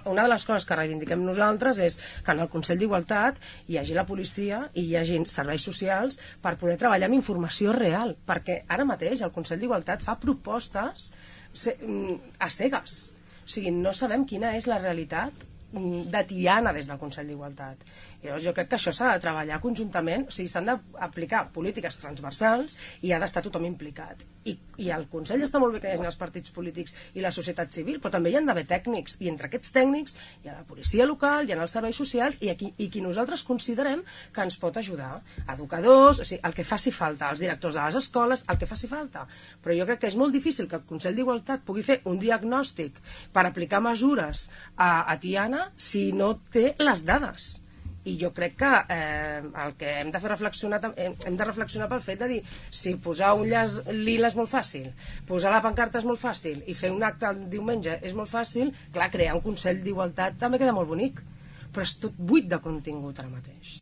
una de les coses que reivindiquem nosaltres és que en el Consell d'Igualtat hi hagi la policia i hi hagi serveis socials per poder treballar amb informació real, perquè ara mateix el Consell d'Igualtat fa propostes a cegues. O sigui, no sabem quina és la realitat de Tiana des del Consell d'Igualtat. Llavors jo crec que això s'ha de treballar conjuntament, o sigui, s'han d'aplicar polítiques transversals i ha d'estar tothom implicat. I al Consell està molt bé que hi hagi els partits polítics i la societat civil, però també hi han d'haver tècnics, i entre aquests tècnics hi ha la policia local, hi ha els serveis socials i qui nosaltres considerem que ens pot ajudar. Educadors, o sigui, el que faci falta, els directors de les escoles, el que faci falta. Però jo crec que és molt difícil que el Consell d'Igualtat pugui fer un diagnòstic per aplicar mesures a Tiana si no té les dades. I jo crec que el que hem de fer hem de reflexionar pel fet de dir si posar un llaç lila és molt fàcil, posar la pancarta és molt fàcil i fer un acte el diumenge és molt fàcil, clar, crear un Consell d'Igualtat també queda molt bonic, però és tot buit de contingut ara mateix.